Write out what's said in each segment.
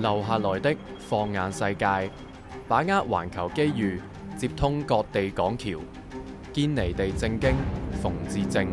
留下來的放眼世界，把握環球機遇，接通各地港橋，堅尼地正經，馮智政。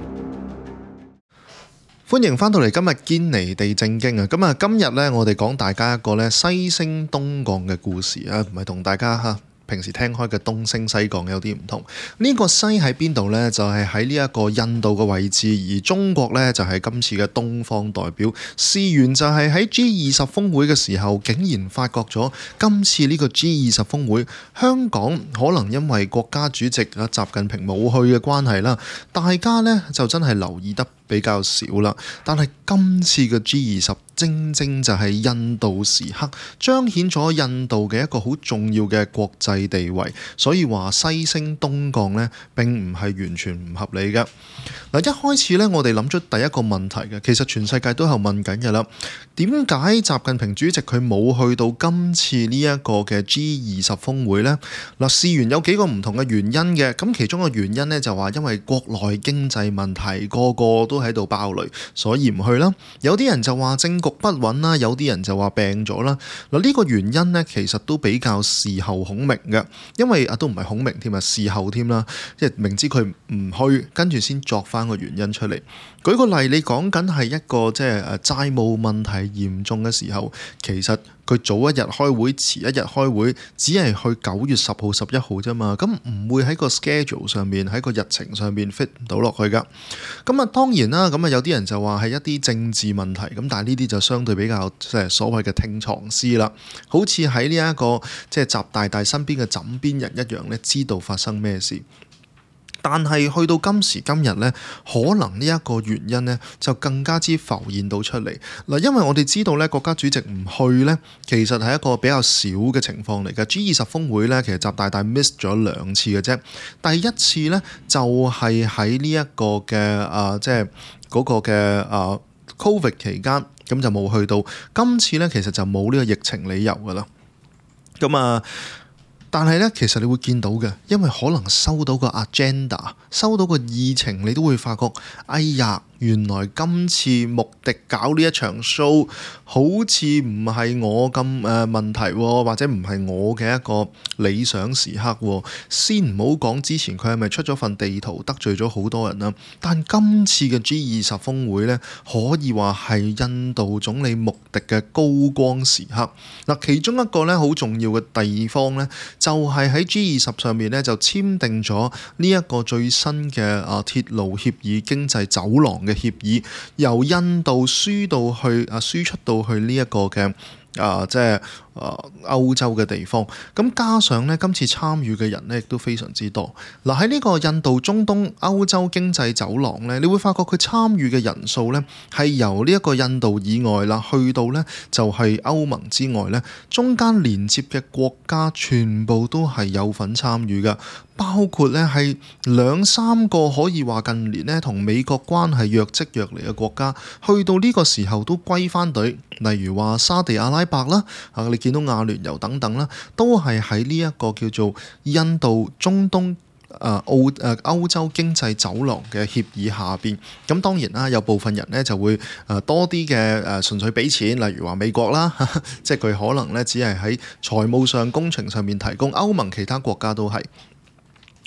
歡迎翻到嚟今日堅尼地正經啊！咁啊，今日呢，我哋講大家一個呢西升東降嘅故事啊，唔係同大家平時聽開嘅東升西降有啲唔同。呢個西喺邊度呢？就係喺呢一個印度嘅位置，而中國呢，就係今次嘅東方代表。事緣就係喺 G20 峰會嘅時候，竟然發覺咗今次呢個 G20 峰會，香港可能因為國家主席啊習近平冇去嘅關係啦，大家呢就真係留意得比較少啦。但係今次嘅 G20 正正就係印度時刻，彰顯咗印度嘅一個好重要嘅國際地位，所以話西升東降呢並唔係完全唔合理嘅。嗱，一開始呢，我哋諗出第一個問題嘅，其實全世界都有問緊嘅啦。點解習近平主席佢冇去到今次呢一個嘅 G20 峰會呢？嗱，事緣有幾個唔同嘅原因嘅，咁其中個原因呢，就話因為國內經濟問題，個個都喺度爆雷，所以唔去啦。有啲人就話政局不穩啦，有啲人就話病咗啦。嗱，呢個原因呢，其實都比較事後孔明嘅，因為都唔係孔明添啊，事後添啦，即係明知佢唔去，跟住先作翻個原因出嚟。舉個例，你講緊係一個即係債務問題嚴重嘅時候，其實佢早一日開會，遲一日開會，只係去9月10號、11號啫嘛，咁唔會喺個 schedule 上面，喺個日程上面 fit 唔到落去噶。咁啊，當然啦，咁啊有啲人就話係一啲政治問題，咁但係呢啲就相對比較即係所謂嘅聽藏師啦，好似喺呢一個即係習大大身邊嘅枕邊人一樣咧，知道發生咩事。但係去到今時今日呢，可能呢一個原因呢就更加之浮現到出嚟嗱，因為我哋知道呢，國家主席唔去呢，其實係一個比較少嘅情況嚟嘅。G20 峰會呢，其實習大大 miss 咗2次嘅啫。第一次呢，就係喺呢一個嘅即係嗰個嘅Covid 期間，咁就冇去到。今次呢，其實就冇呢個疫情理由噶啦。咁但係咧，其實你會見到嘅，因為可能收到個 agenda，收到個議程，你都會發覺，哎呀，原來今次穆迪搞呢一場 show，好似唔係我咁問題喎，或者唔係我嘅一個理想時刻喎。先唔好講之前佢係咪出咗份地圖得罪咗好多人啦，但今次嘅 G20 峰會呢，可以話係印度總理穆迪嘅高光時刻。嗱，其中一個呢好重要嘅地方呢，就係喺 G20 上面呢，就簽訂咗呢一個最新嘅鐵路協議、經濟走廊嘅協議，由印度輸出到去呢一個嘅即係歐洲嘅地方。咁加上呢，今次參與嘅人呢亦都非常之多。嗱，喺呢個印度、中東、歐洲經濟走廊呢，你會發覺佢參與嘅人數呢係由呢一個印度以外啦，去到呢就係歐盟之外呢，中間連接嘅國家全部都係有份參與㗎。包括咧係2-3個可以話近年咧同美國關係若即若離嘅國家，去到呢個時候都歸翻隊。例如話沙地阿拉伯啦，你見到阿聯酋等等啦，都係喺呢一個叫做印度、中東、歐洲經濟走廊嘅協議下邊。咁當然啦，有部分人咧就會多啲嘅純粹俾錢，例如話美國啦，即係佢可能咧只係喺財務上、工程上面提供，歐盟其他國家都係。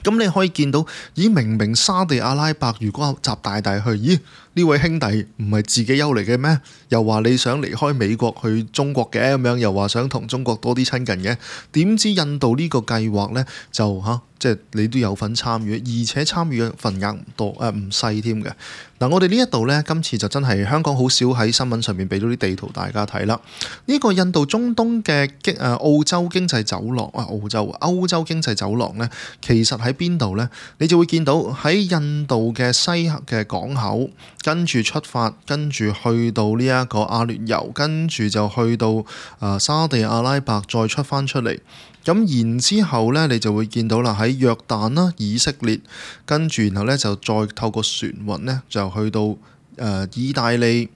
咁你可以見到，咦，明明沙地阿拉伯如果習大大去，咦，呢位兄弟唔係自己優嚟嘅咩？又話你想離開美國去中國嘅咁樣，又話想同中國多啲親近嘅，點知印度呢個計劃呢，就即係你都有份參與，而且參與嘅份額唔多，唔細添嘅。嗱，我哋呢一度呢，今次就真係香港好少喺新聞上面俾到啲地圖大家睇啦。呢個印度中東嘅澳洲經濟走廊歐洲經濟走廊呢，其實喺邊度呢？你就會見到喺印度嘅西嘅港口，跟住出發，跟住去到呢一個阿聯酋，跟住就去到沙地阿拉伯，再出翻出嚟。咁然之後呢，你就會見到啦，喺約旦啦、以色列，跟住然後呢，就再透過船運呢，就去到意大利，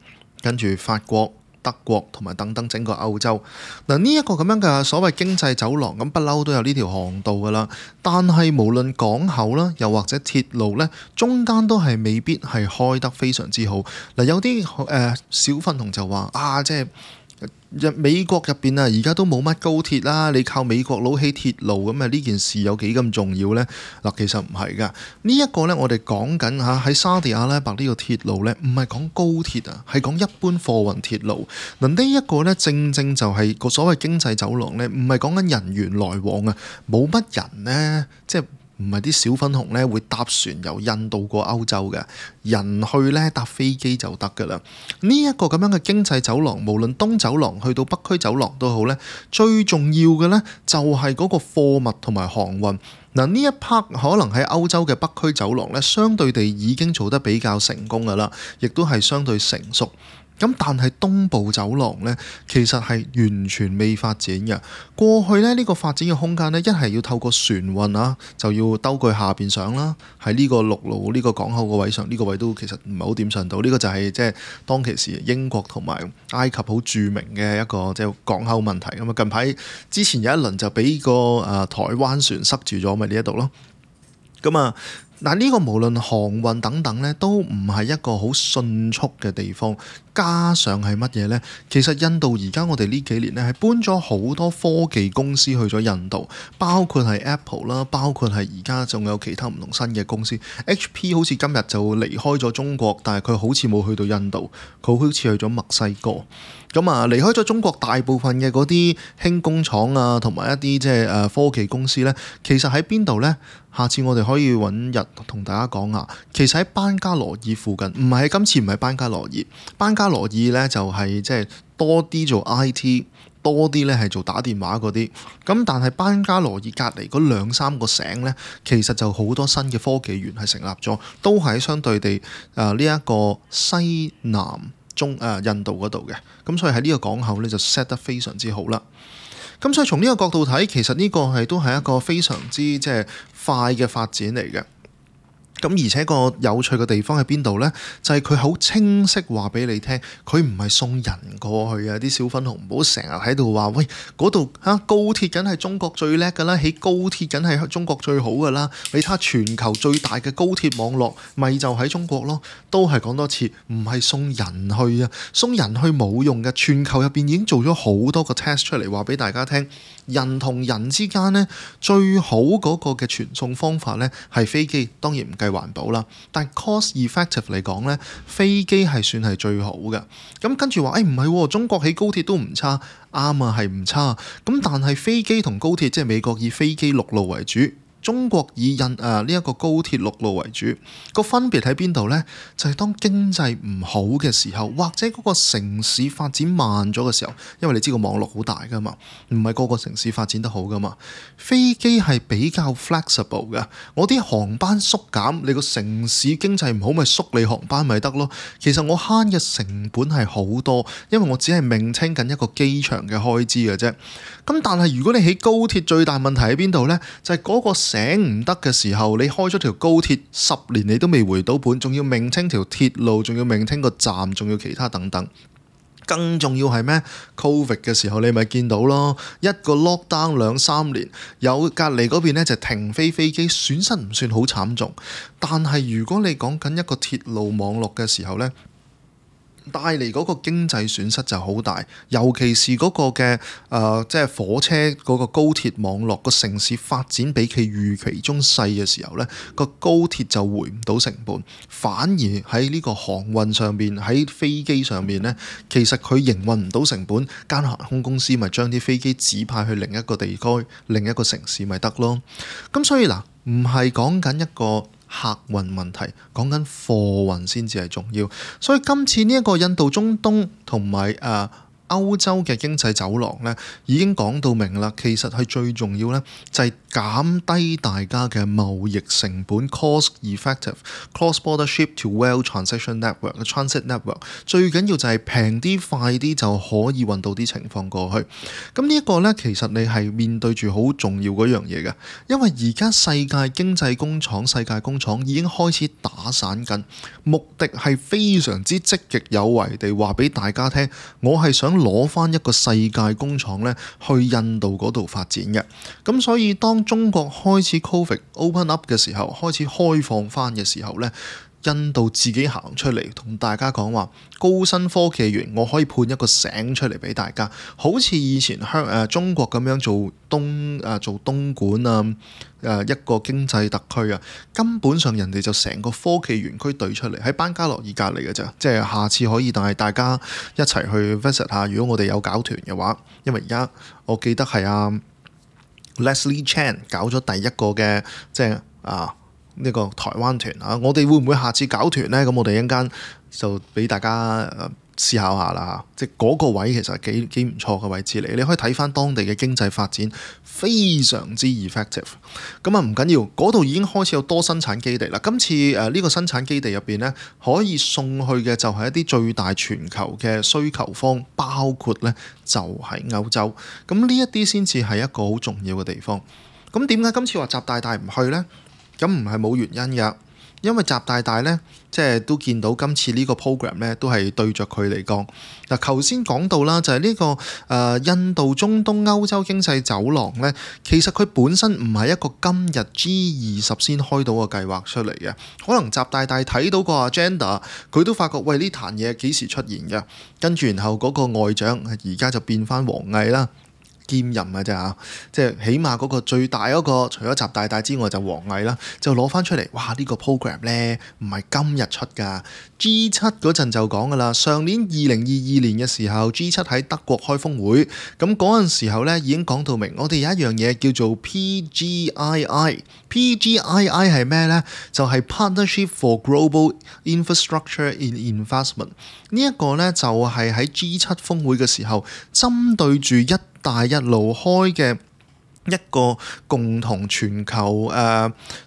跟住法國、德國同埋等等整個歐洲。嗱，呢一個咁樣嘅所謂經濟走廊，咁不嬲都有呢條航道噶啦。但係無論港口啦，又或者鐵路呢，中間都係未必係開得非常之好。嗱，有啲小粉紅就話即係美國入邊啊，而家都冇乜高鐵啦，你靠美國佬起鐵路咁啊，呢件事有幾咁重要呢？嗱，其實唔係噶，呢一個呢，我哋講緊嚇喺沙地阿拉伯呢個鐵路呢，唔係講高鐵啊，係講一般貨運鐵路。嗱，呢一個呢，正正就係個所謂經濟走廊呢，唔係講緊人員來往啊，冇乜人呢，即係唔係啲小粉紅咧會搭船由印度過歐洲嘅，人去咧搭飛機就得㗎啦。呢一個咁樣嘅經濟走廊，無論東走廊去到北區走廊都好咧，最重要嘅咧就係嗰個貨物同埋航運。嗱，呢一 part 可能喺歐洲嘅北區走廊咧，相對地已經做得比較成功㗎啦，亦都係相對成熟。咁但係東部走廊呢，其實係完全未發展嘅。過去呢，呢個發展嘅空間呢，一係要透過船運啊，就要兜佢下邊上啦。喺呢個陸路呢個港口個位上，呢個位都其實唔係好點上到。呢個就係即係當其時英國同埋埃及好著名嘅一個即係港口問題。咁啊，近排之前有一輪就俾個台灣船塞住咗，咪呢一度咯。咁啊。嗱，呢個無論航運等等咧，都唔係一個好迅速嘅地方。加上係乜嘢呢？其實印度而家我哋呢幾年咧係搬咗好多科技公司去咗印度，包括係 Apple 啦，包括係而家仲有其他唔同新嘅公司。HP 好似今日就離開咗中國，但係佢好似冇去到印度，佢好似去咗墨西哥。咁啊，離開咗中國大部分嘅嗰啲輕工廠啊，同埋一啲即係科技公司呢，其實喺邊度呢？下次我哋可以揾日同大家講下。其實喺班加羅爾附近，唔係今次唔係班加羅爾，班加羅爾呢就係即係多啲做 IT，多啲呢係做打電話嗰啲。咁但係班加羅爾隔離嗰兩三個省呢，其實就好多新嘅科技園係成立咗，都係相對地呢一個西南印度嗰度嘅。咁所以喺呢個港口呢，就 set 得非常之好啦。咁所以從呢個角度睇，其實呢個都係一個非常之即係快嘅發展嚟嘅。咁而且個有趣嘅地方喺邊度呢？就係佢好清晰話俾你聽，佢唔係送人過去啊！啲小粉紅唔好成日喺度話，喂，嗰度高鐵梗係中國最叻㗎啦，起高鐵梗係中國最好㗎啦！你睇下全球最大嘅高鐵網絡，咪就喺中國咯。都係講多次，唔係送人去啊，送人去冇用嘅。全球入邊已經做咗好多個 test 出嚟，話俾大家聽，人同人之間呢，最好嗰個嘅傳送方法呢係飛機，當然唔計環保啦，但 cost effective 嚟講呢，飛機係算係最好嘅。咁跟住話，唔係，中國起高鐵都唔差，啱啊，係唔差。咁但係飛機同高鐵，即係美國以飛機陸路為主，中國以呢一個高鐵陸路為主，個分別喺邊度呢？就係當經濟唔好嘅時候，或者嗰個城市發展慢咗嘅時候，因為你知個網絡好大噶嘛，唔係個個城市發展得好噶嘛。飛機係比較 flexible 嘅，我啲航班縮減，你個城市經濟唔好咪縮你航班咪得咯。其實我慳嘅成本係好多，因為我只係maintain緊一個機場嘅開支嘅啫。咁但係如果你起高鐵，最大問題喺邊度呢？就係嗰個醒唔得嘅時候，你開咗條高鐵10年你都未回到本，仲要maintain條鐵路，仲要maintain個站，仲要其他等等。更重要係咩 ？Covid 嘅時候你咪見到咯，一個 lockdown 2-3年，有隔離嗰邊呢就停飛機，損失唔算好慘重。但係如果你講緊一個鐵路網絡嘅時候呢，帶嚟嗰個經濟損失就好大，尤其是嗰個嘅即係火車嗰個高鐵網絡，個城市發展比其預期中細嘅時候呢，個高鐵就回唔到成本，反而喺呢個航運上面，喺飛機上面呢，其實佢營運唔到成本，間航空公司咪將啲飛機指派去另一個地區、另一個城市咪得咯。咁所以嗱，唔係講緊一個客運問題，講緊貨運先至係重要。所以今次呢一個印度、中東同埋歐洲嘅經濟走廊呢，已經講到明啦。其實係最重要呢，就係減低大家嘅貿易成本 ，cost effective cross-border ship to rail transition network、transit network。最緊要就係平啲、快啲就可以運到啲情況過去。咁呢一個呢，其實你係面對住好重要嗰樣嘢嘅，因為而家世界經濟工廠、世界工廠已經開始打散緊，目的係非常之積極有為地話俾大家聽，我係想攞翻一個世界工廠咧去印度嗰度發展嘅。咁所以當中國開始 Covid open up 嘅時候，開始開放翻嘅時候咧，印度自己行出嚟同大家講話，高新科技園我可以判一個醒出嚟俾大家，好似以前中國咁樣做東莞一個經濟特區啊，根本上人哋就成個科技園區對出嚟喺班加羅爾隔離嘅咋，即係下次可以帶大家一齊去 visit 下，如果我哋有搞團嘅話，因為而家我記得係Leslie Chan 搞咗第一個嘅即係呢個台灣團啊，我哋會唔會下次搞團呢？咁我哋一陣間就俾大家思考下啦，即係嗰個位其實幾唔錯嘅位置嚟，你可以睇翻當地嘅經濟發展非常之 effective。咁唔緊要，嗰度已經開始有多生產基地啦。今次呢個生產基地入邊呢，可以送去嘅就係一啲最大全球嘅需求方，包括呢就係歐洲。咁呢一啲先至係一個好重要嘅地方。咁點解今次話習大大唔去呢？咁唔係冇原因㗎，因為習大大呢，即係都見到今次呢個 program 呢，都係對着佢嚟講。嗱，頭先講到啦，就係呢個印度、中東、歐洲經濟走廊呢，其實佢本身唔係一個今日 G20先開到個計劃出嚟嘅，可能習大大睇到個 agenda，佢都發覺喂，呢壇嘢幾時出現嘅，跟住然後嗰個外長而家就變翻王毅啦。兼任嘅啫嚇，即係起碼嗰個最大嗰個，除咗習大大之外就王毅啦，就攞翻出嚟。哇！呢個 program 呢，唔係今日出㗎，G7嗰陣就講㗎啦。上年2022年嘅時候，G7喺德國開峰會，咁嗰陣時候呢已經講到明，我哋有一樣嘢叫做 PGII。PGII 係咩呢？就係 Partnership for Global Infrastructure in Investment。呢一個呢，就係喺 G7 峰會嘅時候，針對住一帶一路開嘅一個共同全球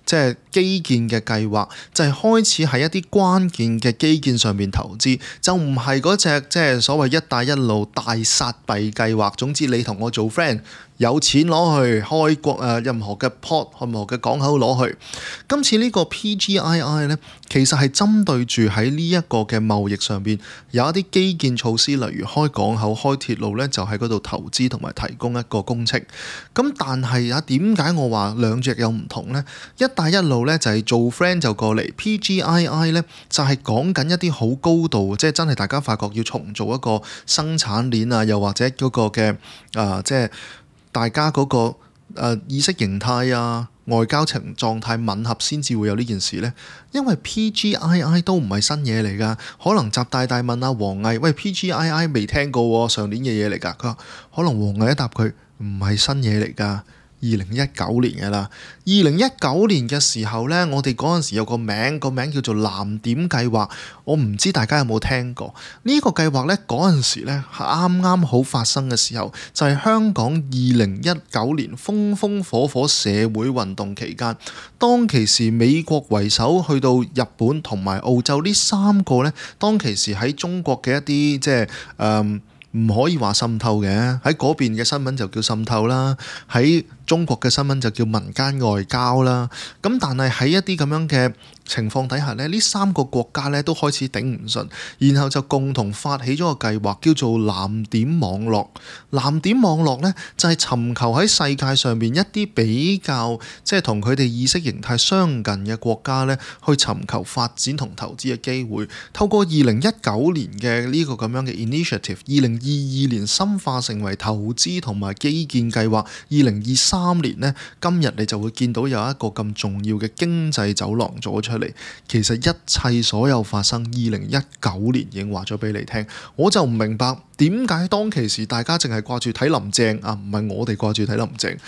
即係基建嘅計劃，就係開始喺一啲關鍵嘅基建上面投資，就唔係嗰隻即係所謂一帶一路大撒幣計劃。總之你同我做 friend，有錢攞去開國任何嘅 port， 任何嘅港口攞去。今次呢個 PGII 呢，其實係針對住喺呢一個嘅貿易上邊有一啲基建措施，例如開港口、開鐵路呢，就喺嗰度投資同埋提供一個工程。咁但係點解我話兩隻有唔同呢？一帶一路呢，就係做 friend 就過嚟，PGII 呢，就係講緊一啲好高度，即係真係大家發覺要重做一個生產鏈啊，又或者嗰個嘅即係大家嗰個意識形態啊、外交情狀態吻合先至會有呢件事呢。因為 PGII 都唔係新嘢嚟㗎，可能習大大問阿王毅，喂 PGII 未聽過喎，上年嘅嘢嚟㗎。佢話可能王毅一答佢唔係新嘢嚟㗎。2019年嘅啦，2019年嘅時候呢，我哋嗰陣時有個名叫做藍點計劃，我唔知大家有冇聽過呢個計劃呢？嗰陣時呢，啱啱好發生嘅時候，就係香港2019年風風火火社會運動期間，當其時美國為首去到日本同埋澳洲呢三個呢，當其時喺中國嘅一啲即係唔可以話滲透嘅，喺嗰邊嘅新聞就叫滲透啦，喺中國嘅新聞就叫民間外交啦。咁但係喺一啲咁樣嘅情況底下呢，呢三個國家呢都開始頂唔順，然後就共同發起咗個計劃，叫做藍點網絡。藍點網絡呢，就係尋求喺世界上面一啲比較即係同佢哋意識形態相近嘅國家呢，去尋求發展同投資嘅機會。透過2019年嘅呢個咁樣嘅 initiative，2022年深化成為投資同埋基建計劃，2023年呢，今日你就會見到有一個咁重要嘅經濟走廊做咗出嚟。其實一切所有發生2019年已經話咗俾你聽，我就唔明白點解當其時大家淨係掛住睇林鄭啊，唔係我哋掛住睇林鄭，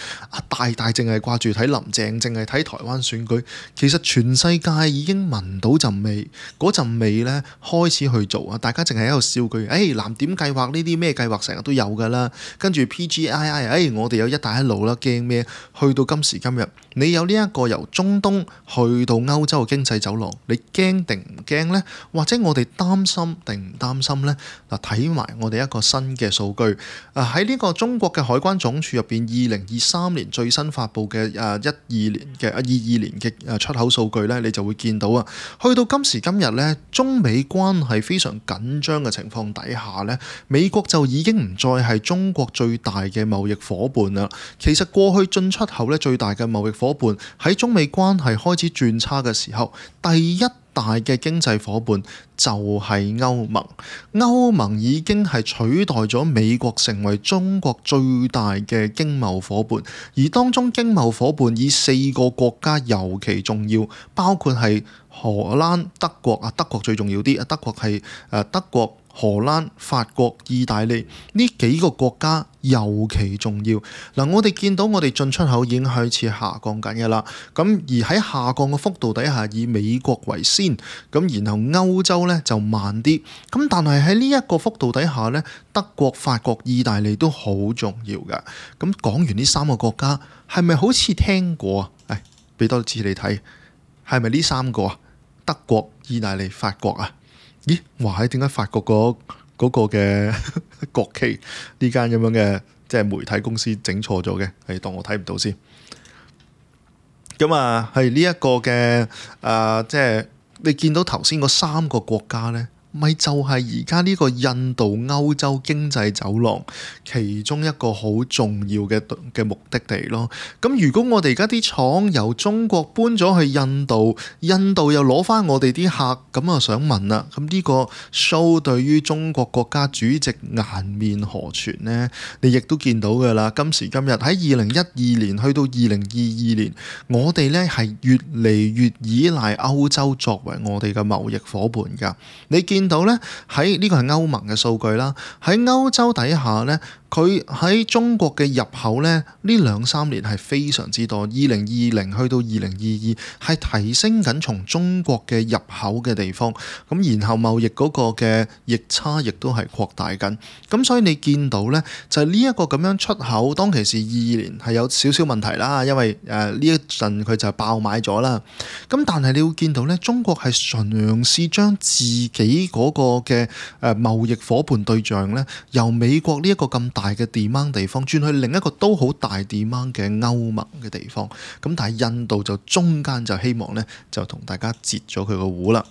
大大淨係掛住睇林鄭，淨係睇台灣選舉。其實全世界已經聞到陣味，嗰陣味呢開始去做啊！大家淨係喺度笑佢，藍點計劃呢啲咩計劃成日都有㗎啦，跟住 PGII，我哋有一帶一路啦，驚咩？去到今時今日，你有呢一個由中東去到歐洲嘅經濟走廊，你驚定唔驚呢？或者我哋擔心定唔擔心呢？嗱，睇埋我哋一個新嘅數據，喺呢個中國嘅海關總署入邊，2023年最新發布嘅22年嘅出口數據呢，你就會見到啊，去到今時今日呢，中美關係非常緊張嘅情況底下呢，美國就已經唔再係中國最大嘅貿易夥伴啦。其實過去進出口呢，最大嘅貿易夥伴喺中美關係開始轉差嘅時候，第一大嘅經濟夥伴就係歐盟。歐盟已經係取代咗美國成為中國最大嘅經貿夥伴，而當中經貿夥伴以4個國家尤其重要，包括係荷蘭、德國啊，德國最重要啲，德國係德國、荷蘭、法國、意大利呢幾個國家尤其重要。嗱，我哋見到我哋進出口已經開始下降緊嘅啦。咁而喺下降嘅幅度底下，以美國為先，咁然後歐洲咧就慢啲。咁但係喺呢一個幅度底下咧，德國、法國、意大利都好重要㗎。咁講完呢3個國家，係咪好似聽過啊？俾多次你睇，係咪呢3個啊？德國、意大利、法國啊？咦，哇！點解法國嗰個嘅國旗呢間咁樣嘅即係媒體公司整錯咗嘅？係當我睇唔到先。咁啊，係呢一個嘅即係你見到頭先嗰3個國家呢，咪就係而家呢個印度歐洲經濟走廊其中一個好重要嘅目的地咯。咁如果我哋而家啲廠由中國搬咗去印度，印度又攞翻我哋啲客，咁我想問啦，咁呢個 show 對於中國國家主席顏面何存呢？你亦都見到㗎啦。今時今日喺2012年去到2022年，我哋呢係越嚟越依賴歐洲作為我哋嘅貿易夥伴㗎。你見到咧，喺呢個係歐盟嘅數據啦，喺歐洲底下咧，佢喺中國嘅入口咧，呢2-3年係非常之多。2020去到2022係提升緊從中國嘅入口嘅地方，咁然後貿易嗰個嘅逆差亦都係擴大緊。咁所以你見到咧，就係呢一個咁樣出口，當其時22年係有少少問題啦，因為呢一陣佢就爆買咗啦。咁但係你會見到咧，中國係嘗試將自己嗰個嘅貿易夥伴對象咧，由美國呢一個咁大嘅 demand 地方轉去另一個都好大 demand 嘅歐盟嘅地方。咁但係印度就中間就希望咧，就同大家截咗佢個糊啦。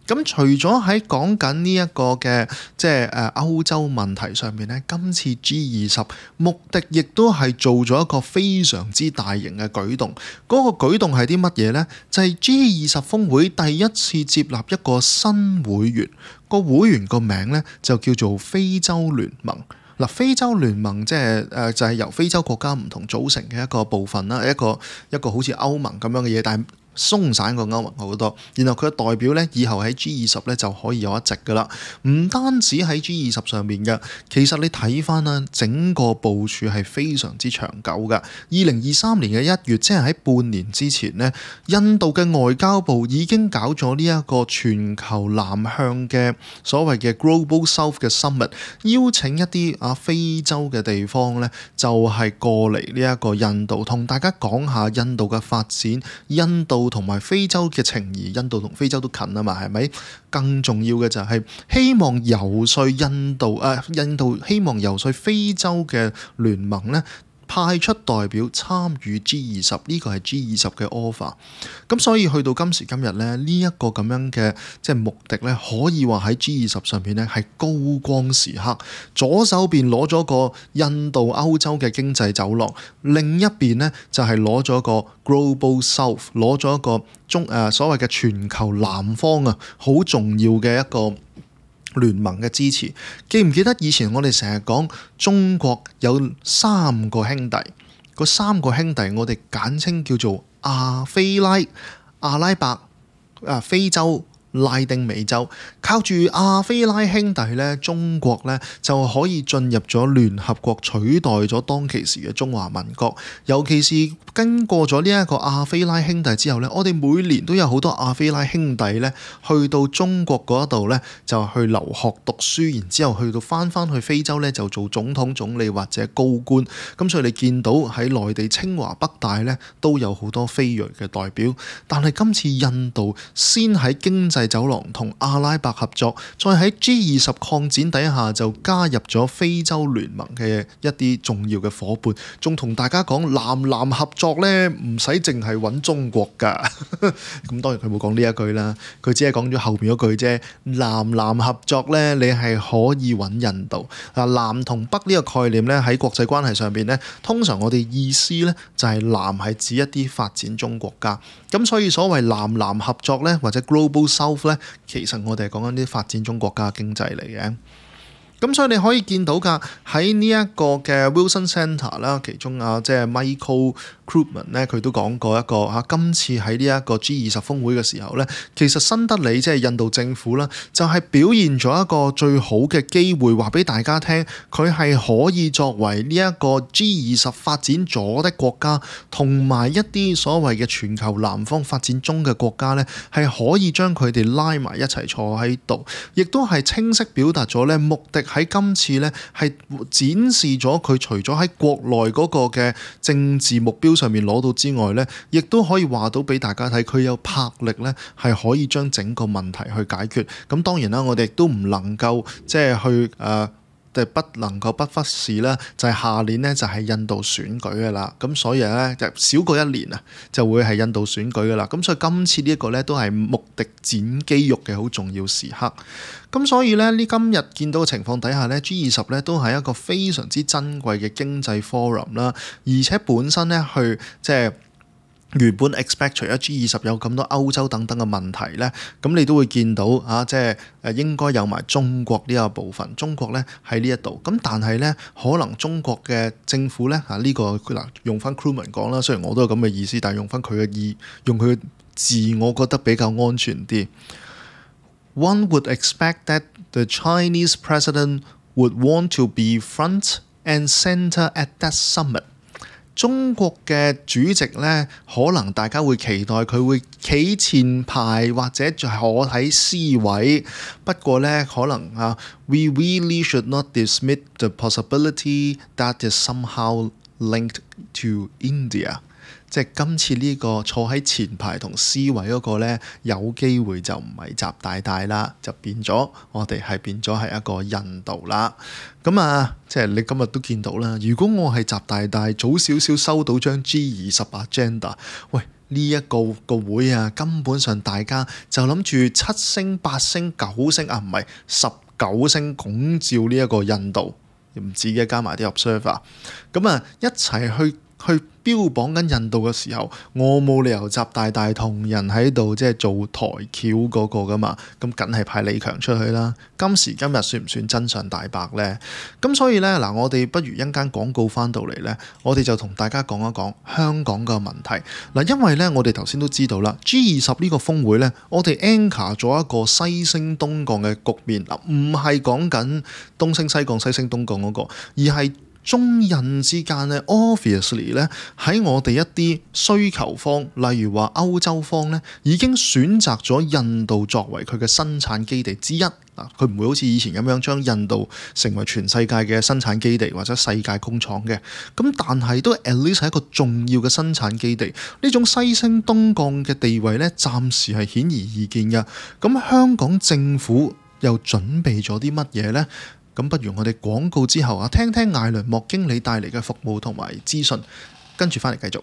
咁除咗喺講緊呢一個嘅即係歐洲問題上面咧，今次 G20 目的亦都係做咗一個非常之大型嘅舉動。嗰個舉動係啲乜嘢呢？就係 G20 峰會第一次接納一個新會員，個會員個名咧就叫做非洲聯盟。嗱，非洲聯盟即係就係由非洲國家唔同組成嘅一個部分啦，一個好似歐盟咁樣嘅嘢，但係鬆散過歐盟好多，然後佢嘅代表咧，以後喺 G20 咧就可以有一席噶啦。唔單止喺 G20 上面嘅，其實你睇翻啦，整個部署係非常之長久噶。2023年嘅1月，即係喺半年之前呢，印度嘅外交部已經搞咗呢一個全球南向嘅所謂嘅 Global South 嘅 Summit， 邀請一啲非洲嘅地方咧，就係過嚟呢一個印度，同大家講下印度嘅發展，印度同埋非洲嘅情誼，印度同非洲都近啊嘛，係咪？更重要嘅就係希望游說印度希望游說非洲嘅聯盟咧，派出代表參與 G20， 呢個係 G20 嘅 offer。咁所以去到今時今日咧，呢一個咁樣嘅即係目的咧，可以話喺 G20 上邊咧係高光時刻。左手邊攞咗個印度歐洲嘅經濟走廊，另一邊咧就係攞咗個 Global South， 攞咗一個所謂嘅全球南方啊，好重要嘅一個聯盟嘅支持。記唔記得以前我哋成日講中國有3個兄弟，嗰3個兄弟我哋簡稱叫做亞非拉、阿拉伯、非洲、拉丁美洲。靠住亞非拉兄弟咧，中國咧就可以進入咗聯合國，取代咗當其時嘅中華民國。尤其是經過咗呢一個亞非拉兄弟之後咧，我哋每年都有好多亞非拉兄弟咧去到中國嗰度咧就去留學讀書，然之後去到翻去非洲咧就做總統、總理或者高官。咁所以你見到喺內地清華北大咧都有好多非裔嘅代表。但係今次印度先喺經濟走廊同阿拉伯合作，再喺 G20 擴展底下就加入咗非洲聯盟嘅一啲重要嘅夥伴，仲同大家講南合作咧唔使淨係揾中國㗎。咁當然佢冇講呢一句啦，佢只係講咗後面嗰句啫。南合作咧，你係可以揾印度。南同北呢個概念咧喺國際關係上邊咧，通常我哋意思咧就係南係指一啲發展中國家。咁所以所謂南合作咧，或者 Global South South 呢，其實我哋係講緊啲發展中國家嘅經濟嚟嘅。咁所以你可以見到㗎，喺呢一個嘅 Wilson Centre 啦，其中即係 Michael Krugman 咧，佢都講過一個今次喺呢一個 G20 峰會嘅時候咧，其實新德里即係印度政府啦，就係表現咗一個最好嘅機會，話俾大家聽，佢係可以作為呢一個 G20 發展咗的國家，同埋一啲所謂嘅全球南方發展中嘅國家咧，係可以將佢哋拉埋一齊坐喺度，亦都係清晰表達咗咧目的。喺今次咧，係展示咗佢除咗喺國內嗰個嘅政治目標上面攞到之外咧，亦都可以話到俾大家睇，佢有魄力咧，係可以將整個問題去解決。咁當然啦，我哋亦都唔能夠即係去不能夠不忽視啦，就係下年呢，就係印度選舉嘅啦，咁所以咧就少過一年啊，就會係印度選舉嘅啦。咁所以今次呢一個咧都係穆迪剪肌肉嘅好重要時刻。咁所以咧呢今日見到嘅情況底下咧，G20咧都係一個非常之珍貴嘅經濟 forum 啦，而且本身咧去即係。原本 expect 除咗 G20 有咁多歐洲等等嘅問題咧，咁你都會見到即係應該有埋中國呢個部分。中國咧喺呢一度，咁但係咧可能中國嘅政府咧呢個嗱用翻 Krugman 講啦，雖然我都有咁嘅意思，但係用翻佢嘅用佢嘅字，我覺得比較安全啲。One would expect that the Chinese president would want to be front and center at that summit。中國嘅主席呢，可能大家會期待佢會企前排或者就坐喺 C 位。不過呢，可能we really should not dismiss the possibility that is somehow linked to India。即係今次呢個坐喺前排同 C 位嗰個呢，有機會就唔係習大大啦，就變咗我哋係變咗係一個印度啦。咁即係你今日都見到啦。如果我係習大大，早少少收到張 G20 agenda， 喂呢一個會根本上大家就諗住7星、8星、9星唔係19星拱照呢一個印度，唔止嘅，加埋啲 observer， 咁一齊去標榜緊印度嘅時候，我冇理由習大大同人喺度即係做台橋嗰個噶嘛，咁梗係派李強出去啦。今時今日算唔算真相大白呢？咁所以呢，嗱，我哋不如一間廣告翻到嚟呢，我哋就同大家講一講香港嘅問題。嗱，因為呢，我哋頭先都知道啦，G20呢個峰會呢，我哋 anchor 咗一個西升東降嘅局面，唔係講緊東升西降、西升東降嗰個，而係中印之間咧 obviously 咧喺我哋一啲需求方，例如話歐洲方咧，已經選擇咗印度作為佢嘅生產基地之一。佢唔會好似以前咁樣將印度成為全世界嘅生產基地或者世界工廠嘅。咁但係都 at least 係一個重要嘅生產基地。呢種西升東降嘅地位咧，暫時係顯而易見嘅。咁香港政府又準備咗啲乜嘢呢？咁不如我哋廣告之後聽聽艾倫莫經理帶嚟嘅服務同埋資訊，跟住翻嚟繼續。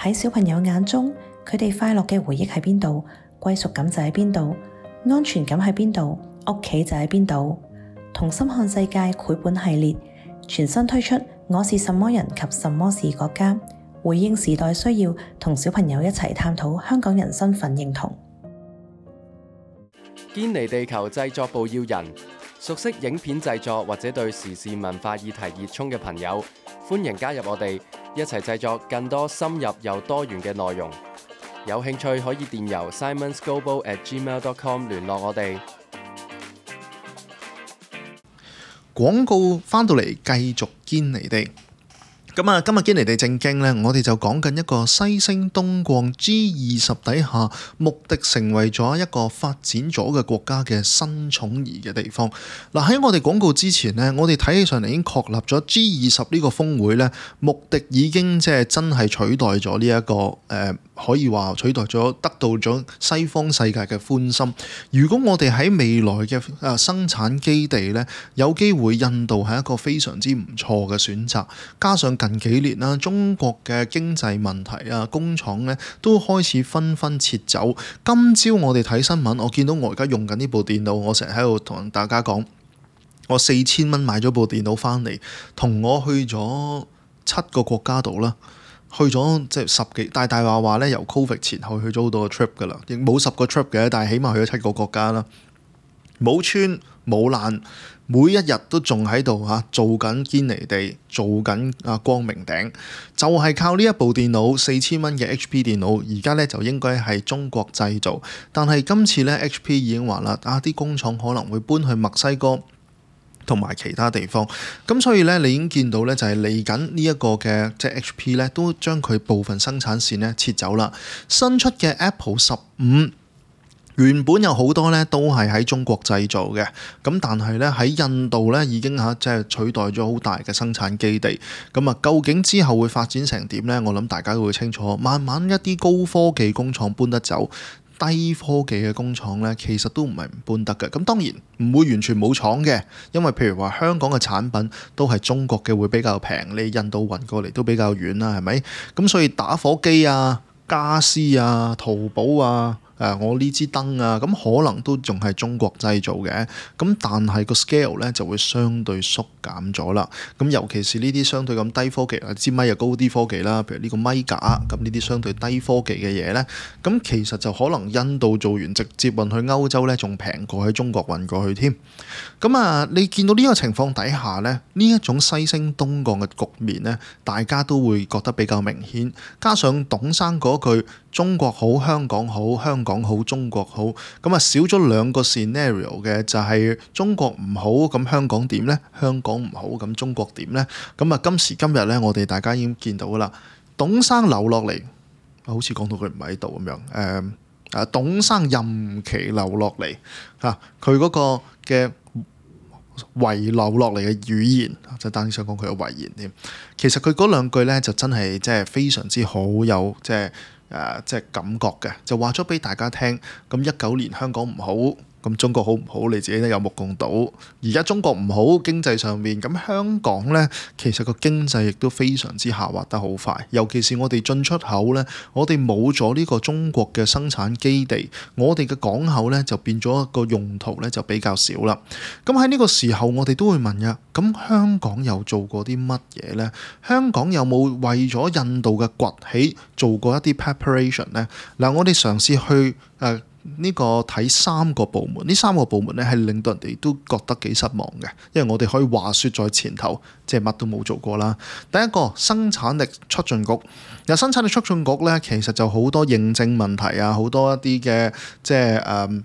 喺小朋友眼中，佢哋快樂嘅回憶喺邊度，歸屬感就喺邊度，安全感喺邊度，屋企就喺邊度。同心看世界繪本系列全新推出我是什麼人及什麼是國家，回應時代需要，同小朋友一齊探討香港人身份認同。堅尼地球製作部要人，熟悉影片製作或者對時事文化議題熱衷嘅朋友，歡迎加入我哋，一齊製作更多深入又多元嘅內容。有興趣可以電郵 simonsglobal@gmail.com 聯絡我哋。廣告翻到嚟，繼續堅尼地。咁啊，今日堅尼地正經呢，我哋就講緊一個西星東降 G20 底下，目的成為咗一個發展咗嘅國家嘅新寵兒嘅地方。嗱，喺我哋廣告之前呢，我哋睇起上嚟已經確立咗 G20 呢個峰會呢，目的已經即係真係取代咗呢一個可以話取代咗，得到咗西方世界嘅歡心。如果我哋喺未來嘅生產基地呢，有機會印度係一個非常之唔錯嘅選擇，加上近幾年啦，中國嘅經濟問題啊，工廠呢都開始紛紛撤走。今朝我哋睇新聞，我見到我而家用緊呢部電腦，我成日喺度同大家講，我4000蚊買咗部電腦翻嚟，同我去咗7個國家度啦。去咗即係10幾，大話咧，由 Covid 前後去咗好多個 trip 噶啦，亦冇10個 trip 嘅，但係起碼去咗7個國家啦。冇穿冇爛，每一日都仲喺度做緊堅尼地，做緊光明頂，就係靠呢一部電腦4000蚊嘅 HP 電腦，而家咧就應該係中國製造，但係今次咧 HP 已經話啦，啲工廠可能會搬去墨西哥同埋其他地方，咁所以咧，你已經見到咧，就係嚟緊呢一個嘅即係 HP 咧，都將佢部分生產線咧撤走啦。新出嘅 Apple 15原本有好多咧都係喺中國製造嘅，咁但係咧喺印度咧已經即係取代咗好大嘅生產基地。咁啊，究竟之後會發展成點咧？我諗大家都會清楚。慢慢一啲高科技工廠搬得走，低科技嘅工廠呢，其實都唔係唔搬得嘅。咁當然唔會完全冇廠嘅，因為譬如話香港嘅產品都係中國嘅會比較平，你印度運過嚟都比較遠啦，係咪？咁所以打火機啊、家私啊、淘寶啊、我呢支燈啊，咁可能都仲係中國製造嘅，咁但係個 scale 咧就會相對縮減咗啦。咁尤其是呢啲相對咁低科技，支咪又高啲科技啦，譬如呢個咪架，咁呢啲相對低科技嘅嘢咧，咁其實就可能印度做完直接運去歐洲咧，仲平過喺中國運過去添。咁啊，你見到呢個情況底下咧，呢一種西升東降嘅局面咧，大家都會覺得比較明顯。加上董生嗰句中國好、香港好、香港好、中國好，咁啊少咗兩個 scenario 嘅，就係中國唔好，咁香港點呢？香港唔好，咁中國點呢？咁啊今時今日咧，我哋大家已經見到啦，董生留落嚟，好似講到佢唔喺度咁樣，董生任期留落嚟，佢嗰個嘅遺留落嚟嘅語言，就單想講佢嘅遺言添。其實佢嗰兩句咧，就真係即係非常之好，有即係感覺嘅，就話咗俾大家聽。咁19年香港唔好，咁中國好唔好？你自己都有目共睹。而家中國唔好經濟上面，咁香港呢，其實個經濟亦都非常之下滑得好快。尤其是我哋進出口呢，我哋冇咗呢個中國嘅生產基地，我哋嘅港口呢就變咗一個用途呢就比較少啦。咁喺呢個時候，我哋都會問呀，咁香港又做過啲乜嘢呢？香港有冇為咗印度嘅崛起做過一啲 preparation 呢？嗱，我哋嘗試去呢個睇3個部門，呢3個部門咧係令到人哋都覺得幾失望嘅，因為我哋可以話説在前頭，即係乜都冇做過啦。第一個生產力促進局，生產力促進局咧，其實就好多認證問題啊，好多一啲嘅即係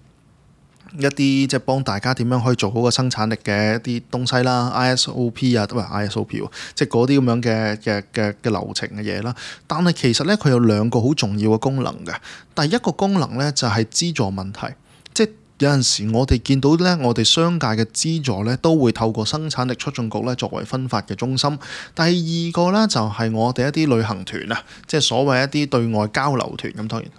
一啲即係幫大家點樣可以做好個生產力嘅一啲東西啦 ，ISOP 啊，都係 ISOP，即係嗰啲咁樣嘅流程嘅嘢啦。但係其實咧，佢有2個好重要嘅功能嘅。第一個功能咧就係資助問題，即係有陣時我哋見到咧，我哋商界嘅資助咧都會透過生產力促進局咧作為分發嘅中心。第二個咧就係我哋一啲旅行團啊，即係所謂一啲對外交流團咁，當然。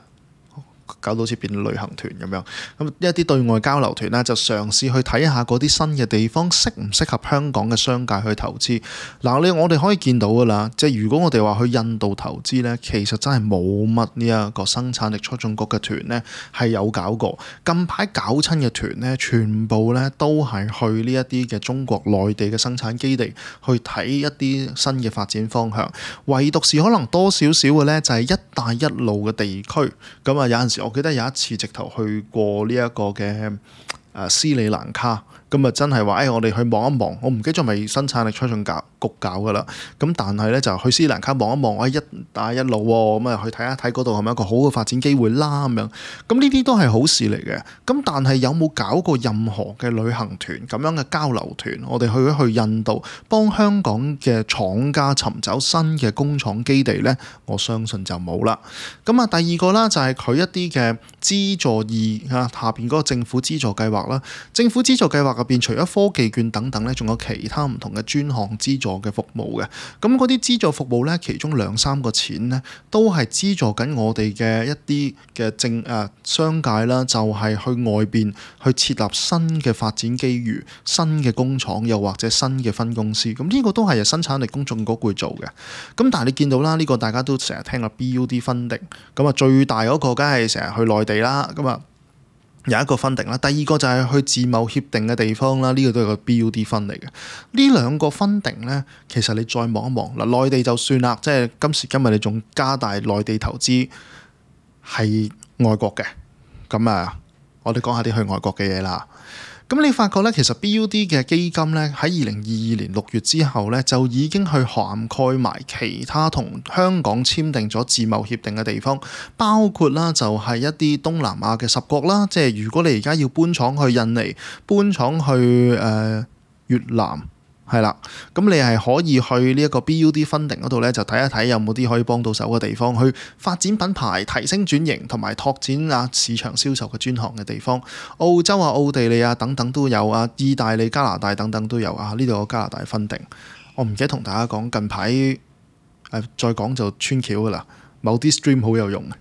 搞到好似變旅行團咁樣。咁一啲對外交流團咧就嘗試去睇下嗰啲新嘅地方適唔適合香港嘅商界去投資。嗱，我哋可以見到㗎啦，即係如果我哋話去印度投資咧，其實真係冇乜呢一個生產力促進局嘅團咧係有搞過。近排搞親嘅團咧，全部咧都係去呢一啲嘅中國內地嘅生產基地去睇一啲新嘅發展方向。唯獨是可能多少少嘅咧，就係一帶一路嘅地區。咁啊，有陣時我記得有一次直頭去過呢一個嘅斯里蘭卡。咁啊，真係話我哋去望一望，我唔記得咗咪生產力促進局搞噶啦。咁但係咧就去斯里蘭卡望一望，一帶一路喎，咁啊去睇一睇嗰度係咪一個好嘅發展機會啦咁樣。咁呢啲都係好事嚟嘅。咁但係有冇搞過任何嘅旅行團咁樣嘅交流團？我哋去印度幫香港嘅廠家尋找新嘅工廠基地咧，我相信就冇啦。咁啊，第二個啦就係佢一啲嘅資助下邊嗰個政府資助計劃啦。政府資助計劃入邊除咗科技券等等咧，仲有其他唔同嘅專項資助嘅服務嘅。咁嗰啲資助服務咧，其中2-3個錢咧，都係資助緊我哋嘅一啲嘅商界啦，就係去外邊去設立新嘅發展機遇、新嘅工廠，又或者新嘅分公司。咁呢個都係生產力公眾局會做嘅。咁但係你見到啦，呢個大家都成日聽啦 BUD funding。咁啊，最大嗰個梗係成日去內地啦。咁啊，有一個 funding 啦，第二個就係去自貿協定嘅地方啦，呢個都係個 BUD fund 嚟嘅。呢兩個 funding 咧，其實你再望一望嗱，內地就算啦，即係今時今日你仲加大內地投資係外國嘅，咁啊，我哋講下啲去外國嘅嘢啦。咁你發覺咧，其實 BUD 嘅基金咧喺2022年6月之後咧，就已經去涵蓋埋其他同香港簽訂咗自貿協定嘅地方，包括啦就係一啲東南亞嘅10國啦。即係如果你而家要搬廠去印尼、搬廠去越南，係啦，咁你係可以去呢一個 BUD funding 嗰度咧，就睇一睇有冇啲可以幫到手嘅地方，去發展品牌、提升轉型同埋拓展市場銷售嘅專項嘅地方。澳洲奧地利等等都有啊，意大利、加拿大等等都有啊。呢度有加拿大 funding， 我唔記得同大家講，近排再講就穿橋噶啦，某啲 stream 好有用嘅。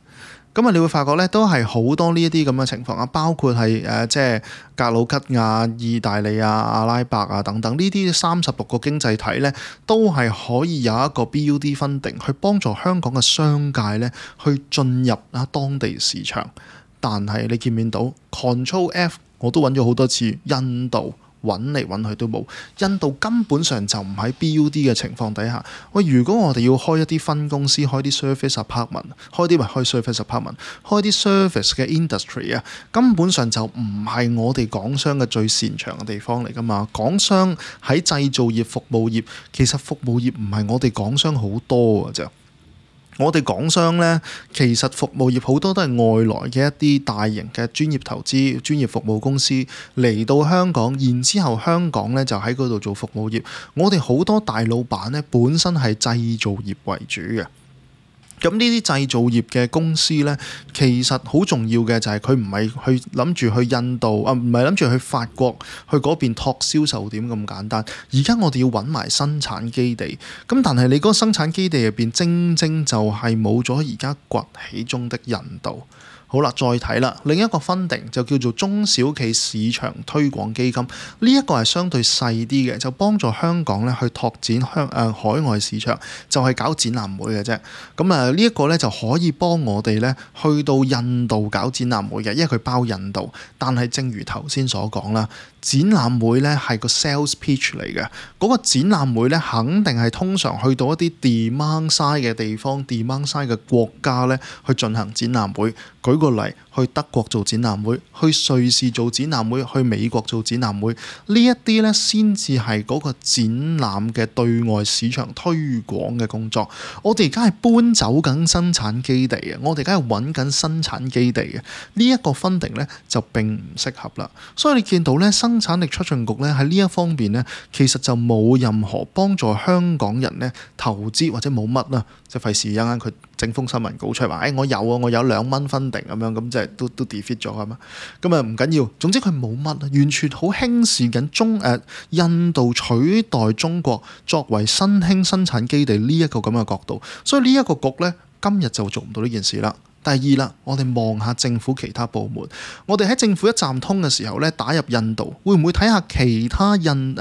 咁你會發覺咧，都係好多呢一啲咁嘅情況啊，包括係即係格魯吉亞、意大利阿拉伯等等呢啲36個經濟體咧，都係可以有一個 BUD funding去幫助香港嘅商界咧去進入當地市場。但係你見唔見到 Control F 我都揾咗好多次，印度揾嚟揾去都冇，印度根本上就唔喺 BUD 嘅情況底下。喂，如果我哋要開一啲分公司，開啲 service apartment， 開啲啲 service 嘅 industry 根本上就唔係我哋港商嘅最擅長嘅地方嚟㗎嘛。港商喺製造業、服務業，其實服務業唔係我哋港商好多㗎啫。我哋港商呢，其實服務業好多都係外來嘅一啲大型嘅專業投資、專業服務公司嚟到香港，然之後香港呢就喺嗰度做服務業。我哋好多大老闆呢，本身係製造業為主嘅。咁呢啲製造業嘅公司呢，其實好重要嘅就係佢唔係去諗住去印度唔係諗住去法國去嗰邊拓銷售點咁簡單。而家我哋要揾埋生產基地，咁但係你嗰個生產基地入邊，正正就係冇咗而家崛起中的印度。好啦，再睇啦，另一個 funding 就叫做中小企市場推廣基金，呢一個係相對細啲嘅，就幫助香港咧去拓展海外市場，就係搞展覽會嘅啫。咁呢一個咧就可以幫我哋咧去到印度搞展覽會嘅，因為佢包印度。但係正如頭先所講啦，展覽會咧係個 sales pitch 嚟嘅，嗰個展覽會咧肯定係通常去到一啲 demand side 嘅地方、demand side 嘅國家咧去進行展覽會。舉個例，去德國做展覽會，去瑞士做展覽會，去美國做展覽會，呢一啲咧先至係嗰個展覽嘅對外市場推廣嘅工作。我哋而家係搬走緊生產基地嘅，我哋而家係揾緊生產基地嘅，呢一個 funding 咧就並唔適合啦。所以你見到咧，生產力促進局咧喺呢一方面咧，其實就冇任何幫助香港人咧投資，或者冇乜啦，即係費事一陣間佢整封新聞稿出嚟話，我有2蚊funding咁樣，咁即係都 defeat 咗啊嘛。咁唔緊要，總之佢冇乜，完全好輕視緊印度取代中國作為新興生產基地呢一個咁嘅角度。所以呢一個局咧，今日就做唔到呢件事啦。第二啦，我哋望下政府其他部門，我哋喺政府一站通嘅時候咧，打入印度，會唔會睇下其他印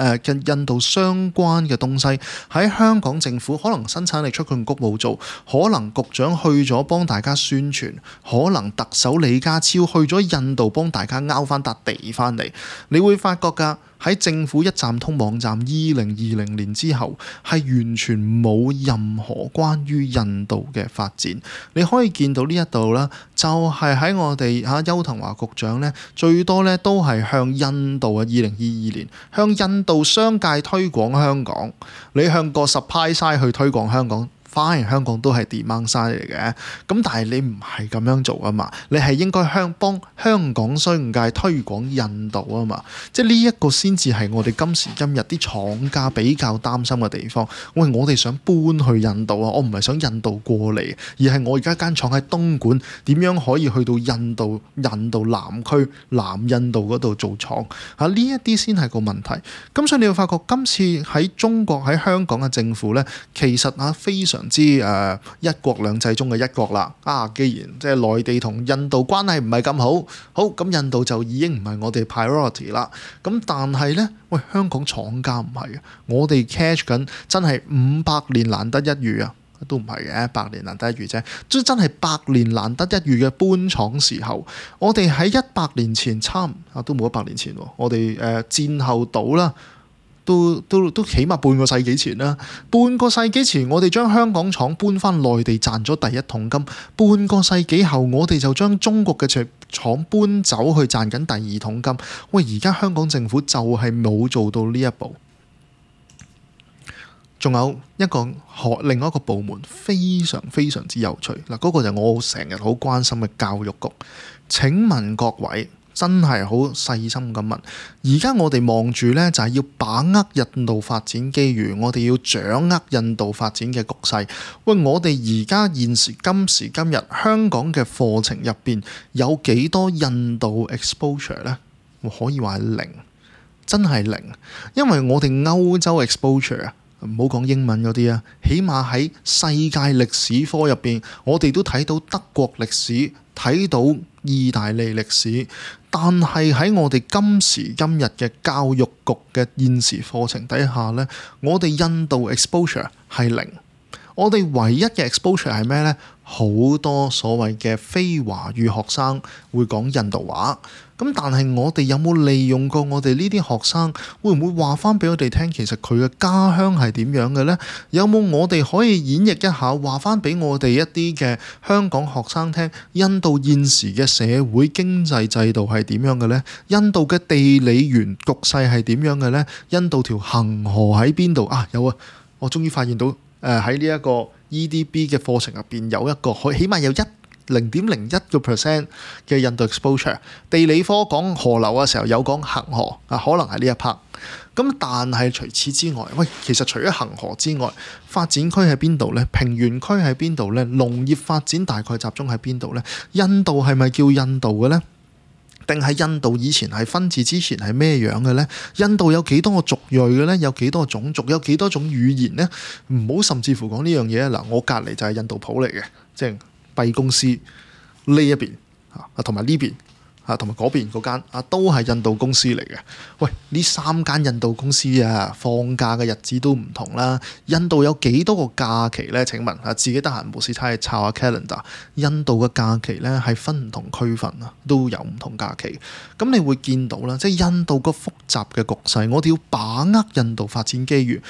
度相關嘅東西喺香港政府可能生產力促進局冇做，可能局長去咗幫大家宣傳，可能特首李家超去咗印度幫大家拗翻笪地翻嚟，你會發覺㗎。喺政府一站通網站2020年之後，係完全冇任何關於印度嘅發展。你可以見到呢一度啦，就係喺我哋邱騰華局長咧，最多咧都係向印度2022年向印度商界推廣香港，你向個 supply side 去推廣香港。反而香港都係 demand side 嚟嘅，咁但係你唔係咁樣做啊嘛，你係應該幫香港商界推廣印度啊嘛，即係呢一個先至係我哋今時今日啲廠家比較擔心嘅地方。喂，我哋想搬去印度啊，我唔係想印度過嚟，而係我而家間廠喺東莞，點樣可以去到印度南區南印度嗰度做廠啊？呢一啲先係個問題。咁所以你會發覺今次喺中國喺香港嘅政府咧，其實非常之一國兩制中嘅一國啦。既然即係內地同印度關係唔係咁好，咁印度就已經唔係我哋 priority 啦。咁但係呢，喂，香港廠家唔係啊，我哋 catch 緊真係500年難得一遇啊，都唔係嘅，100年難得一遇啫，真係100年難得一遇嘅搬廠時候。我哋喺100年前都冇100年前喎，我哋戰後到啦。都起碼半個世紀前啦，半個世紀前我哋將香港廠搬翻內地賺咗第一桶金，半個世紀後我哋就將中國嘅廠搬走去賺緊第二桶金。喂，而家香港政府就係冇做到呢一步。仲有另外一個部門非常非常之有趣嗱，嗰個就我成日好關心嘅教育局。請問各位，真係好細心咁問，而家我哋望住呢，就係要把握印度發展機遇，我哋要掌握印度發展嘅局勢。喂，我哋而家今時今日香港嘅課程入邊有幾多印度 exposure 呢？可以話係零，真係零。因為我哋歐洲 exposure 啊，唔好講英文嗰啲啊，起碼喺世界歷史科入邊，我哋都睇到德國歷史，睇到意大利歷史，但係喺我哋今時今日嘅教育局嘅現時課程底下呢，我哋印度 exposure 係零。我哋唯一嘅 exposure 係咩呢？好多所謂嘅非華語學生會講印度話，咁但係我哋有冇利用過我哋呢啲學生？會唔會話翻俾我哋聽，其實佢嘅家鄉係點樣嘅呢？有冇我哋可以演繹一下，話翻俾我哋一啲嘅香港學生聽，印度現時嘅社會經濟制度係點樣嘅呢？印度嘅地理局勢係點樣嘅呢？印度條恒河喺邊度啊？有啊，我終於發現到。喺呢一個 EDB 嘅課程入邊有一個，起碼有0.01% 嘅印度 exposure。地理科講河流嘅時候有講恒河啊，可能係呢一 part。咁但係除此之外，喂，其實除咗恒河之外，發展區喺邊度呢？平原區喺邊度呢？農業發展大概集中喺邊度呢？印度係咪叫印度嘅呢？定係印度以前係分治之前係咩樣嘅呢？印度有幾多個族裔嘅呢？有幾多個種族？有幾多種語言呢？唔好甚至乎講呢樣嘢嗱，我隔離就係印度鋪嚟嘅，即係敝公司呢一邊同埋呢邊同埋嗰邊嗰間都係印度公司嚟嘅。喂，呢3間印度公司放假嘅日子都唔同啦。印度有幾多個假期呢？請問自己得閒無事睇下抄下 calendar。印度嘅假期呢係分唔同區份都有唔同假期。咁你會見到啦，即係印度個複雜嘅局勢，我哋要把握印度發展機遇。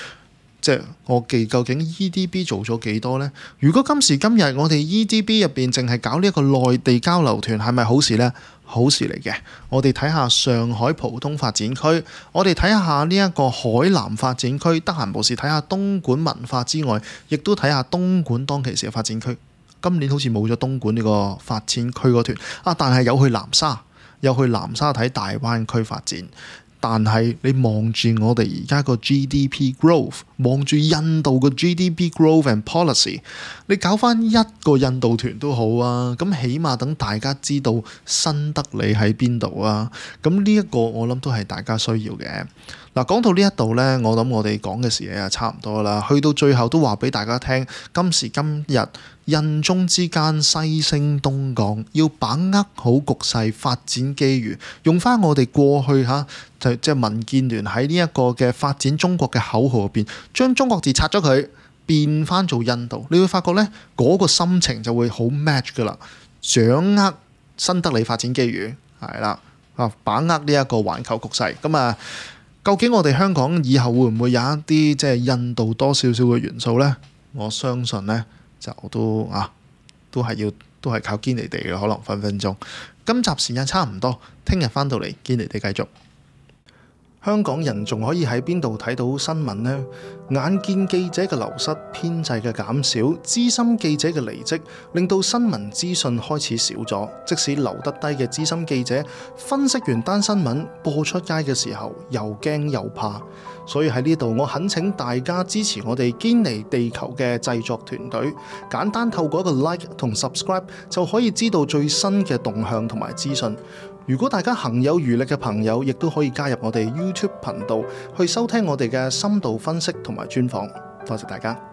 即係我記究竟 EDB 做咗幾多呢？如果今時今日我哋 EDB 入邊淨係搞呢一個內地交流團，係咪好事呢？好事嚟嘅。我哋睇下上海浦東發展區，我哋睇下呢一個海南發展區，得閒無事睇下東莞文化之外，亦都睇下東莞當其時嘅發展區。今年好似冇咗東莞呢個發展區嗰團但係有去南沙睇大灣區發展。但係你望住我哋而家個 GDP growth， 望住印度個 GDP growth and policy， 你搞翻一個印度團都好啊，咁起碼等大家知道新德里喺邊度啊，咁呢一個我諗都係大家需要嘅。嗱，講到呢一度呢，我諗我哋講嘅時嘢差唔多啦，去到最後都話俾大家聽，今時今日印中之間，西升東降，要把握好局勢，發展機遇。用翻我哋過去即係民建聯喺呢一個嘅發展中國嘅口號入邊，將中國字拆咗佢，變翻做印度，你會發覺呢嗰個心情就會好 match 噶啦。掌握新德里發展機遇，係啦，把握呢一個環球局勢。咁啊，究竟我哋香港以後會唔會有一啲即係印度多少少嘅元素呢？我相信呢，就都係靠堅尼地嘅，可能分分鐘。今集時間差唔多，聽日翻到嚟堅尼地繼續。香港人仲可以喺邊度睇到新聞呢？眼見記者嘅流失、編制嘅減少、資深記者嘅離職，令到新聞資訊開始少咗。即使留得低嘅資深記者，分析完單新聞播出街嘅時候，又驚又怕。所以喺呢度，我懇請大家支持我哋堅尼地球嘅製作團隊，簡單透過一個 like 同 subscribe 就可以知道最新嘅動向同埋資訊。如果大家行有餘力嘅朋友，亦都可以加入我哋 YouTube 頻道去收聽我哋嘅深度分析同埋專訪。多謝大家。